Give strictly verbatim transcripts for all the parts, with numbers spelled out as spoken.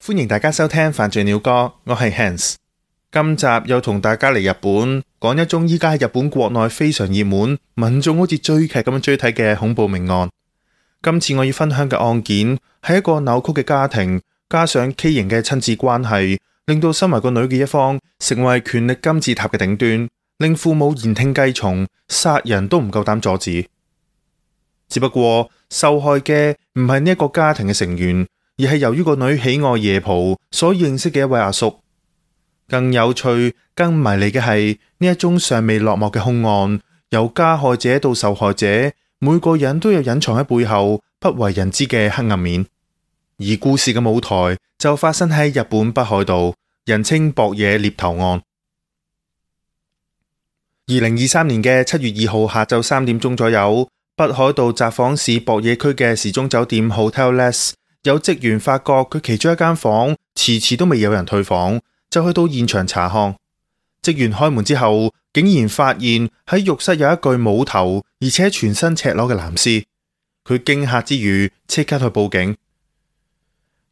歡迎大家收聽犯罪鳥歌，我係 Hans。今集又同大家嚟日本講一宗依家喺日本國內非常熱門，民眾好似追劇咁樣追睇嘅恐怖命案。今次我要分享嘅案件係一個扭曲嘅家庭，加上畸形嘅親子關係，令到身為個女嘅一方成為權力金字塔嘅頂端，令父母言聽計從，殺人都唔夠膽阻止。只不過受害嘅唔係呢一個家庭嘅成員，而係由於個女喜愛夜蒲所認識嘅一位阿叔。更有趣、更迷離嘅係呢一宗尚未落幕嘅兇案，由加害者到受害者，每個人都有隱藏喺背後不為人知嘅黑暗面。而故事嘅舞台就發生喺日本北海道，人稱博野獵頭案。二零二三年嘅七月二號下晝三點鐘左右，北海道札幌市博野區嘅時鐘酒店 Hotelless 有職員發覺佢其中一間房遲遲都未有人退房，就去到現場查看。職員開門之後，竟然發現喺浴室有一具冇頭而且全身赤裸嘅男屍。佢驚嚇之餘，即刻去報警。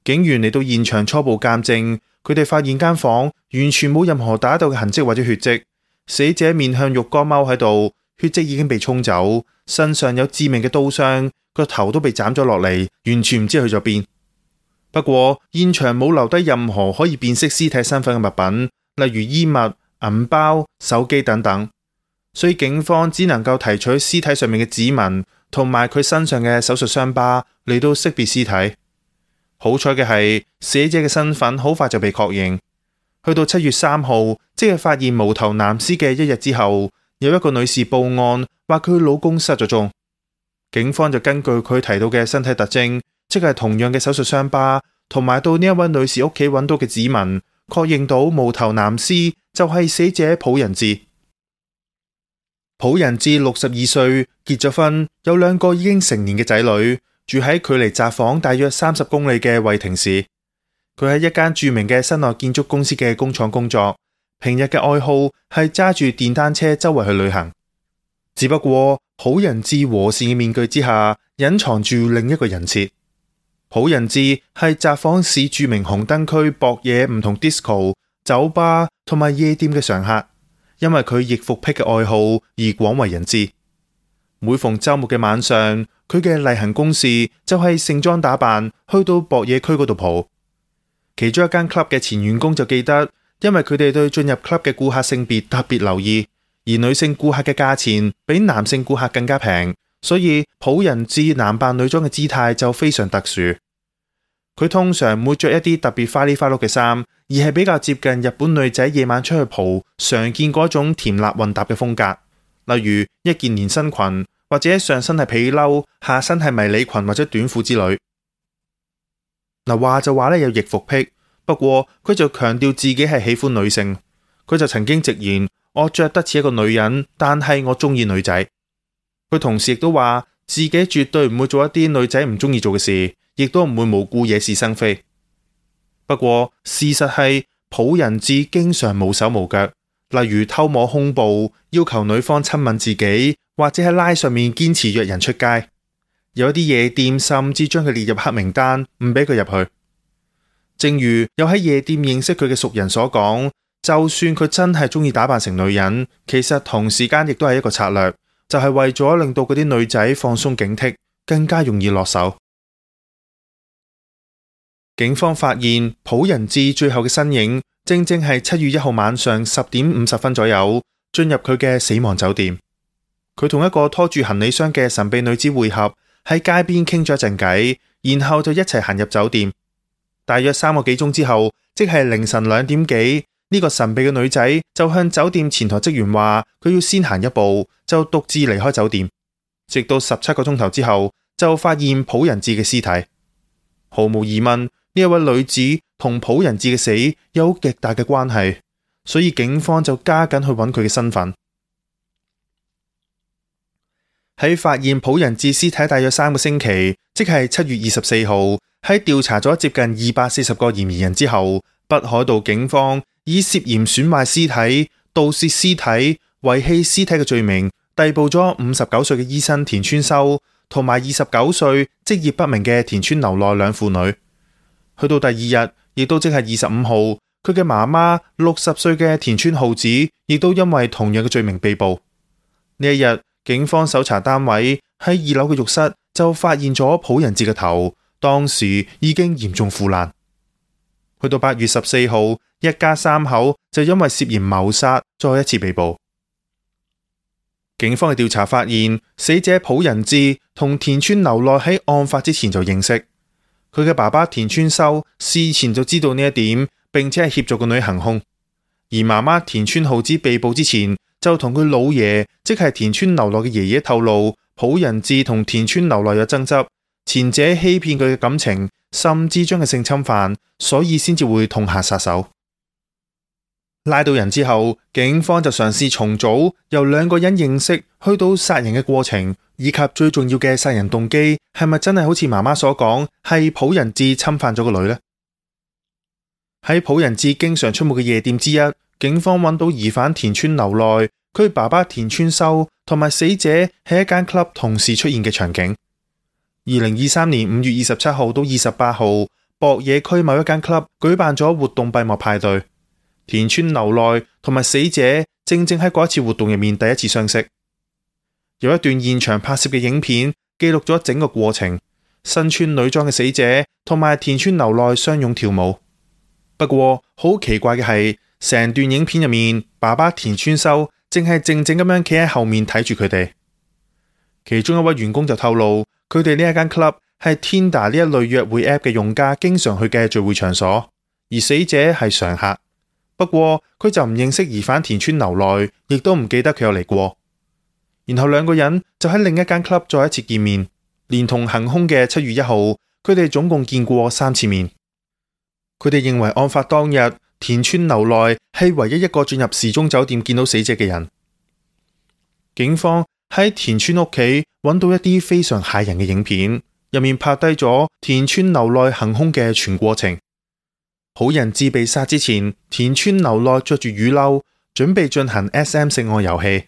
警員嚟到現場初步鑑證，佢哋發現間房完全冇任何打鬥嘅痕跡或者血跡，死者面向浴缸踎喺度，血跡已經被沖走，身上有致命嘅刀傷，個頭都被斬咗落嚟，完全唔知去咗邊。不過現場冇留低任何可以辨識屍體身份嘅物品，例如衣物、銀包、手機等等，所以警方只能夠提取屍體上面嘅指紋同埋佢身上嘅手術傷疤嚟到識別屍體。好彩嘅係死者嘅身份好快就被確認。去到七月三號，即係發現無頭男屍嘅一日之後，有一個女士報案話佢老公失咗蹤。警方就根據佢提到嘅身體特徵，即係同樣嘅手術傷疤，同埋到呢一位女士屋企揾到嘅指紋，確認到無頭男屍就係死者浦仁志。浦仁志六十二歲，結咗婚，有兩個已經成年嘅仔女，住喺距離札幌大約三十公里嘅惠庭市。佢喺一間著名嘅室內建築公司嘅工廠工作，平日嘅愛好係揸住電單車周圍去旅行。只不過浦仁志和善嘅面具之下，隱藏住另一個人設。浦仁志係札幌市著名紅燈區博野唔同 disco、酒吧同埋夜店嘅常客，因為佢易服癖嘅愛好而廣為人知。每逢週末嘅晚上，佢嘅例行公事就係盛裝打扮去到博野區嗰度蒲。其中一間 club 嘅前員工就記得，因為佢哋對進入 club 嘅顧客性別特別留意，而女性顧客嘅價錢比男性顧客更加平，所以浦仁志男扮女裝嘅姿態就非常特殊。佢通常唔會着一啲特別花里花碌嘅衫，而係比較接近日本女仔夜晚出去蒲常見嗰種甜辣混搭嘅風格，例如一件連身裙，或者上身係皮褸，下身係迷你裙或者短褲之類。嗱，話就話咧有易服癖，不過佢就強調自己係喜歡女性。佢就曾經直言，我着得似一個女人，但係我中意女仔。佢同時亦都話自己絕對唔會做一啲女仔唔中意做嘅事，亦都唔會無故惹是生非。不過事實係浦仁志經常無手無腳，例如偷摸胸部，要求女方親吻自己，或者喺拉上面堅持約人出街。有一啲夜店甚至將佢列入黑名單，唔俾佢入去。正如有喺夜店認識佢嘅熟人所講，就算佢真係中意打扮成女人，其實同時間亦都係一個策略，就係為咗令到嗰啲女仔放鬆警惕，更加容易落手。警方發現浦仁志最後嘅身影，正正係七月一號晚上十點五十分左右進入佢嘅死亡酒店。佢同一個拖住行李箱嘅神秘女子會合，喺街邊傾咗一陣偈，然後就一齊行入酒店。大約三個幾鐘之後，即係凌晨兩點幾，呢個神秘嘅女仔就向酒店前台職員話佢要先行一步，就獨自離開酒店。直到十七個鐘頭之後，就發現浦仁志嘅屍體。毫無疑問，呢一位女子同浦仁志嘅死有極大嘅關係，所以警方就加緊去揾佢嘅身份。喺發現浦仁志屍體大約三個星期，即係七月二十四號，喺調查咗接近二百四十個嫌疑人之後，北海道警方以涉嫌損壞屍體、盜竊屍體、遺棄屍體嘅罪名，逮捕咗五十九歲嘅醫生田村修，同埋二十九歲職業不明嘅田村流奈兩婦女。去到第二日，亦都即係二十五號，佢嘅媽媽六十歲嘅田村浩子，亦都因為同樣嘅罪名被捕。呢一日，警方搜查單位喺二樓嘅浴室就發現咗朴仁志嘅頭，當時已經嚴重腐爛。去到八月十四號，一家三口就因為涉嫌謀殺再一次被捕。警方嘅調查發現，死者朴仁志同田村流奈喺案發之前就認識，佢嘅爸爸田村修事前就知道呢一點，並且係協助個女行兇。而媽媽田村浩子被捕之前，就同佢老爺，即係田村流奈嘅爺爺透露，朴仁志同田村流奈有爭執，前者欺騙佢嘅感情，甚至將佢性侵犯，所以先至會痛下殺手。拉到人之後，警方就嘗試重組由兩個人認識去到殺人嘅過程，以及最重要嘅殺人動機係咪真係好似媽媽所講，係朴仁志侵犯咗個女呢？喺朴仁志經常出沒嘅夜店之一，警方揾到疑犯田村流奈，佢爸爸田村修同埋死者喺一間 club 同時出現嘅場景。二零二三年五月二十七號到二十八號，博野區某一間 club 舉辦咗活動閉幕派對。田村流奈同埋死者正正喺嗰一次活動入面第一次相識。有一段現場拍攝嘅影片記錄咗整個過程，身穿女裝嘅死者同埋田村流奈相擁跳舞。不過好奇怪嘅係，成段影片入面，爸爸田村修正係靜靜咁樣企喺後面睇住佢哋。其中一位員工就透露，佢哋呢一間 club 係 Tinder 呢一類約會 app 嘅用家經常去嘅聚會場所，而死者係常客。不過佢就唔認識疑犯田村流奈，亦都唔記得佢有嚟過。然後兩個人就喺另一間 club 再一次見面，連同行兇嘅七月一號，佢哋總共見過三次面。佢哋認為案發當日，田村流奈係唯一一個進入時鐘酒店見到死者嘅人。警方喺田村屋企揾到一啲非常駭人嘅影片，入面拍低咗田村流奈行兇嘅全過程。朴仁志被殺之前，田村流奈着住雨褸，準備進行 S M 性愛遊戲。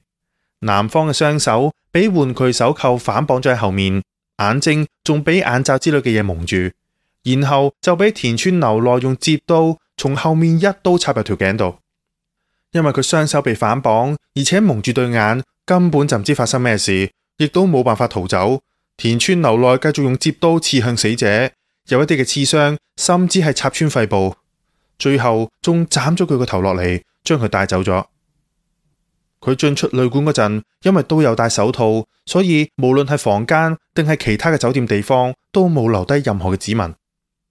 男方嘅雙手俾玩具手扣反綁咗喺後面，眼睛仲俾眼罩之類嘅嘢蒙住，然後就俾田村流奈用摺刀從後面一刀插入條頸度。因為佢雙手被反綁，而且蒙住對眼，根本就唔知發生咩事，亦都冇辦法逃走。田村流奈繼續用摺刀刺向死者，有一啲嘅刺傷甚至係插穿肺部，最後仲斬咗佢個頭落嚟，將佢帶走咗。佢進出旅館嗰陣，因為都有戴手套，所以無論係房間定係其他嘅酒店地方，都冇留低任何嘅指紋。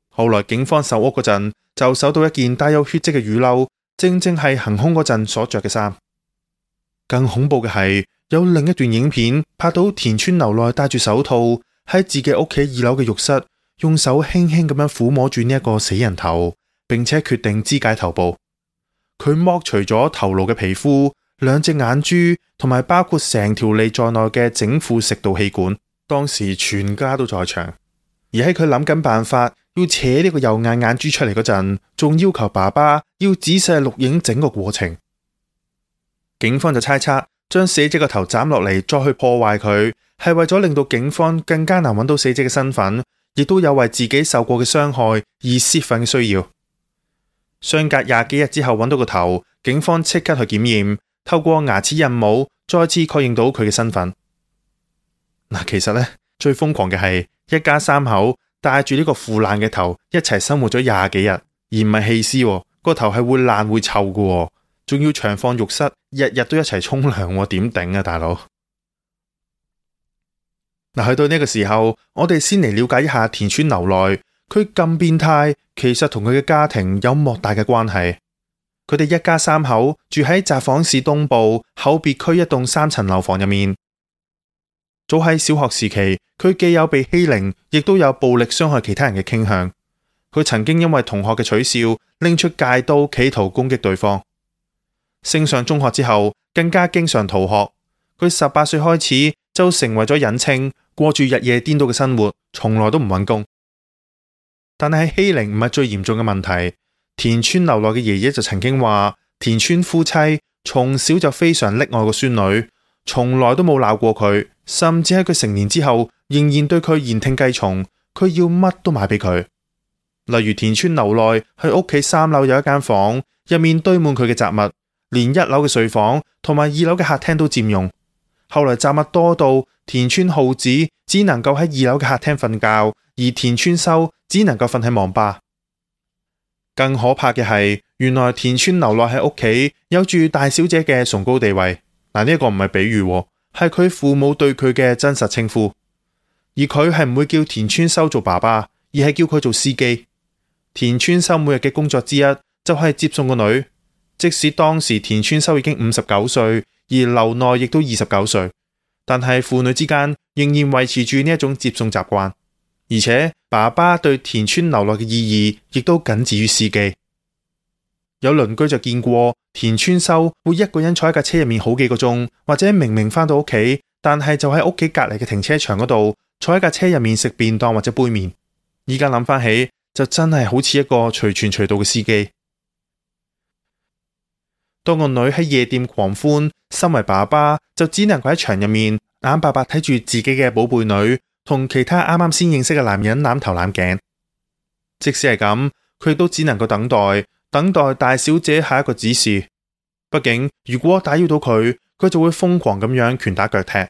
後來警方搜屋嗰陣，就搜到一件帶有血跡嘅雨褸，正正係行兇嗰陣所着嘅衫。更恐怖嘅係，有另一段影片拍到田村流奈戴住手套喺自己屋企二樓嘅浴室，用手輕輕咁樣撫摸住呢一個死人頭，並且決定肢解頭部。佢剝除咗頭顱嘅皮膚、兩隻眼珠同埋包括成條脷在內嘅整副食道氣管。當時全家都在場，而喺佢諗緊辦法要扯呢個右眼眼珠出嚟嗰陣，仲要求爸爸要仔細錄影整個過程。警方就猜測，將死者個頭斬落嚟再去破壞佢，係為咗令到警方更加難揾到死者嘅身份，亦都有為自己受過嘅傷害而泄憤嘅需要。相隔廿幾日之後揾到個頭，警方即刻去檢驗，透過牙齒印模再次確認到佢嘅身份。嗱，其實呢，最瘋狂嘅係一家三口帶住呢個腐爛嘅頭一齊生活咗廿幾日，而唔係棄屍，個頭係會爛會臭嘅，仲要長放浴室，日日都一齊沖涼，點頂啊大佬！嗱，去到呢個時候，我哋先嚟了解一下田村流奈，佢咁變態，其實同佢嘅家庭有莫大嘅關係。佢哋一家三口住喺札幌市東部厚別區一棟三層樓房入面。早喺小學時期，佢既有被欺凌，亦都有暴力傷害其他人嘅傾向。佢曾經因為同學嘅取笑，拎出戒刀企圖攻擊對方。升上中學之後，更加經常逃學。佢十八歲開始就成為咗隱青，過住日夜顛倒嘅生活，從來都唔揾工。但係欺凌唔係最嚴重嘅問題。田村流奈嘅爺爺就曾經話，田村夫妻從小就非常溺愛個孫女，從來都冇鬧過佢，甚至喺佢成年之後，仍然對佢言聽計從，佢要乜都買俾佢。例如田村流內喺屋企三樓有一間房，入面堆滿佢嘅雜物，連一樓嘅睡房同埋二樓嘅客廳都佔用。後來雜物多到田村浩子只能夠喺二樓嘅客廳瞓覺，而田村修只能夠瞓喺網吧。更可怕嘅係，原來田村流內喺屋企有住大小姐嘅崇高地位。嗱，呢一個唔係比喻，係佢父母對佢嘅真實稱呼。而佢係唔會叫田村修做爸爸，而係叫佢做司機。田村修每日嘅工作之一就係接送個女，即使當時田村修已經五十九歲，而流內亦都二十九歲，但係父女之間仍然維持住呢一種接送習慣。而且爸爸對田村流內嘅意義亦都僅止於司機。有鄰居就見過田村修會一個人坐喺架車入面好幾個鐘，或者明明返到屋企，但係就喺屋企隔籬嘅停車場嗰度坐喺架車入面食便當或者杯麵。依家諗返起就真係好似一個隨傳隨到嘅司機。當個女喺夜店狂歡，身為爸爸就只能夠喺場入面眼白白睇住自己嘅寶貝女同其他啱啱先認識嘅男人攬頭攬頸。即使係咁，佢都只能夠等待，等待大小姐下一個指示。畢竟如果打擾到佢，佢就會瘋狂咁樣拳打腳踢。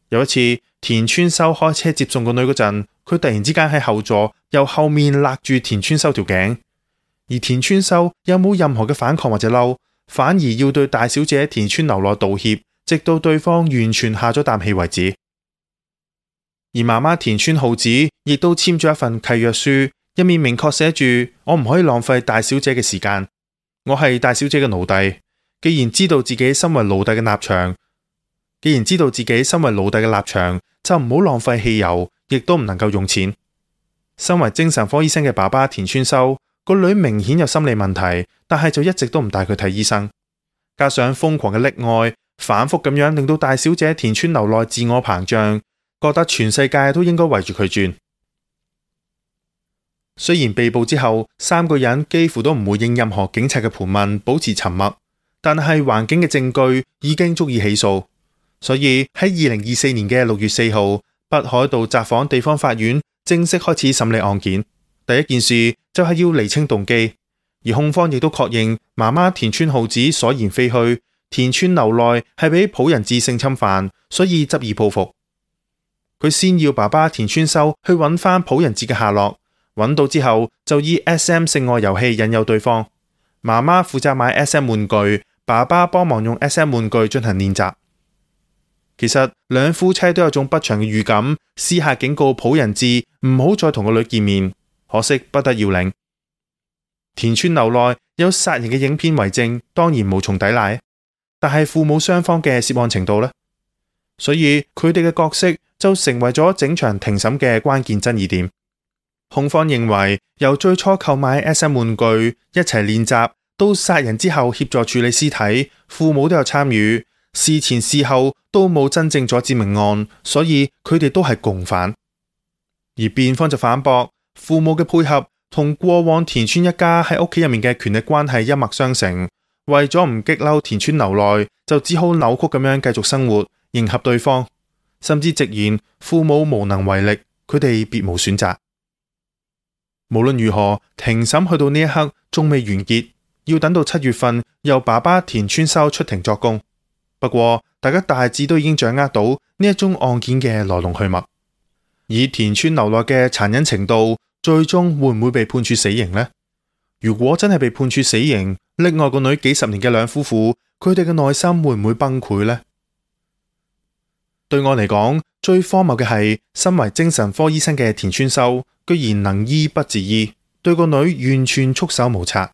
有一次，田村修開車接送個女嗰陣，佢突然之間喺後座由後面勒住田村修條頸，而田村修又冇任何嘅反抗或者嬲，反而要對大小姐田村流內道歉，直到對方完全下咗啖氣為止。而媽媽田村浩子亦都簽咗一份契約書，入面明確寫住：我唔可以浪費大小姐嘅時間，我係大小姐嘅奴隸。既然知道自己身為奴隸嘅立場，既然知道自己身為奴隸嘅立場，就唔好浪費汽油，亦都唔能夠用錢。身為精神科醫生嘅爸爸田村修，個女明顯有心理問題，但係就一直都唔帶佢睇醫生。加上瘋狂嘅溺愛，反覆咁樣令到大小姐田村流內自我膨脹，覺得全世界都應該圍住佢轉。雖然被捕之後，三個人幾乎都唔回應任何警察嘅盤問，保持沉默，但係環境嘅證據已經足以起訴。所以喺二零二四年嘅六月四號，北海道札幌地方法院正式開始審理案件。第一件事就係要釐清動機，而控方亦都確認媽媽田村浩子所言非虛，田村流內係俾浦仁志性侵犯，所以執意報復。佢先要爸爸田村修去揾翻浦仁志嘅下落，揾到之後就以 S M 性愛遊戲引誘對方。媽媽負責買 S M 玩具，爸爸幫忙用 S M 玩具進行練習。其實兩夫妻都有種不祥嘅預感，私下警告浦仁志唔好再同個女見面，可惜不得要領。田村流內有殺人嘅影片為證，當然無從抵賴，但係父母雙方嘅涉案程度呢？所以佢哋嘅角色就成為咗整場庭審嘅關鍵爭議點。控方認為由最初購買 S M 玩具一齊練習，到殺人之後協助處理屍體，父母都有參與，事前事後都冇真正阻止命案，所以佢哋都係共犯。而辯方就反駁，父母嘅配合同過往田村一家喺屋企入面嘅權力關係一脈相承，為咗唔激嬲田村流內，就只好扭曲咁樣繼續生活，迎合對方，甚至直言父母無能為力，佢哋別無選擇。無論如何，庭審去到呢一刻仲未完結，要等到七月份由爸爸田村修出庭作供。不過大家大致都已經掌握到呢一宗案件嘅來龍去脈。以田村流內嘅殘忍程度，最終會唔會被判處死刑呢？如果真係被判處死刑，溺愛個女幾十年嘅兩夫婦，佢哋嘅內心會唔會崩潰呢？對我嚟講，最荒謬嘅係，身為精神科醫生嘅田村修，居然能醫不自醫，對個女完全束手無策。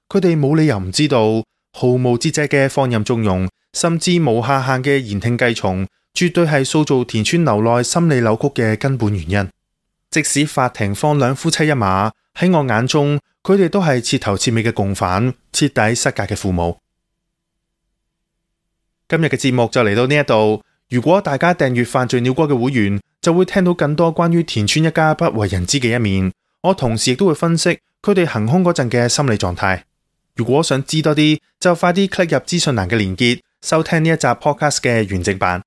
佢哋冇理由唔知道，毫無節制嘅放任縱容，甚至無下限嘅言聽計從，絕對係塑造田村流內心理扭曲嘅根本原因。即使法庭放兩夫妻一馬，喺我眼中，佢哋都係徹頭徹尾嘅共犯，徹底失格嘅父母。今日嘅節目就嚟到呢一度。如果大家訂閱犯罪鳥歌嘅會員，就會聽到更多關於田村一家不為人知嘅一面。我同時亦都會分析佢哋行兇嗰陣嘅心理狀態。如果想知多啲，就快啲 click 入資訊欄嘅連結，收聽呢一集 podcast 嘅完整版。